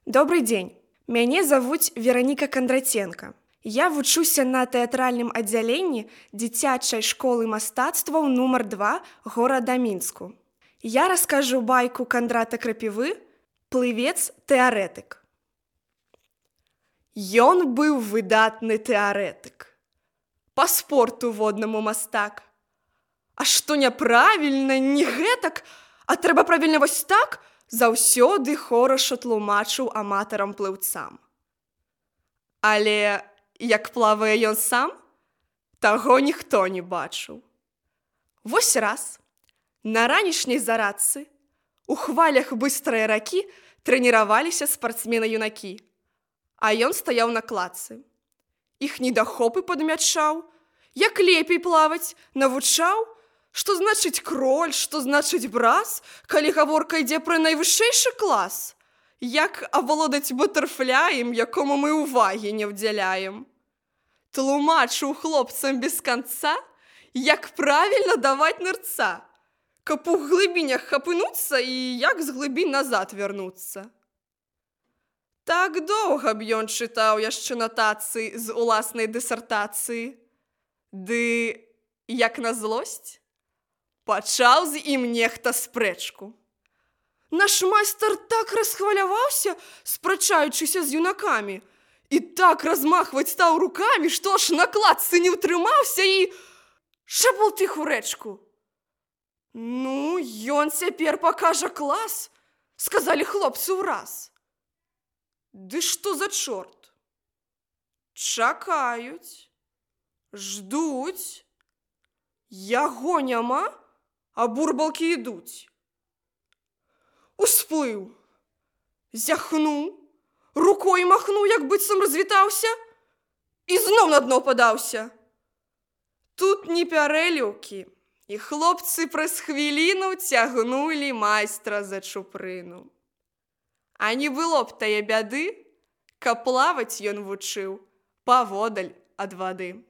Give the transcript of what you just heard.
Добрый дзень. Мяне завуць Вераніка Кандратенка. Я вучуся на тэатральным аддзяленні дзіцячай школы мастацтваў нумар 2 горада Мінску. Я раскажу байку Кандрата Крапівы «Плывец-тэарэтык». Ён быў выдатны тэарэтык. Па спорту воднаму мастак. А што няправільна, не гэтак, а трэба правільна вось так, заўсёды хораша тлумачыў аматарам плыўцам. Але як плавае ён сам, таго ніхто не бачыў. Вось раз, на ранішняй зарадцы, у хвалях быстрай ракі трэніраваліся спартсмены-юнакі, а ён стаяў на кладцы. Іх недахопы падмячаў, як лепей плаваць, навучаў, што значыць кроль, што значыць брас, калі гаворка ідзе пра найвышэйшы клас, як авалодаць батэрфляем, якому мы ўвагі не ўдзяляем. Тлумачыў хлопцам без канца, як правільна даваць нырца, каб у глыбінях хапынуцца і як з глыбінь назад вярнуцца. Так доўга б ён чытаў яшчэ натацыі з уласнай дысертацыі. Ды, як на злосць, пачаў з ім нехта спрэчку. Наш майстар так расхваляваўся, спрачаючыся з юнакамі, і так размахваць стаў рукамі, што аж на кладцы не ўтрымаўся і шабул тых у рэчку. Ну, ён цяпер пакажа клас, сказалі хлопцы ўраз. Ды што за чорт? Чакаюць, ждуць. Яго няма, а бурбалкі ідуць. Усплыў, зяхнуў, рукой махнуў, як быццам развітаўся, і зноў на дно падаўся. Тут не пярэліўкі, і хлопцы праз хвіліну цягнулі майстра за чупрыну. А не было б тае бяды, каб плаваць ён вучыў паводаль ад вады.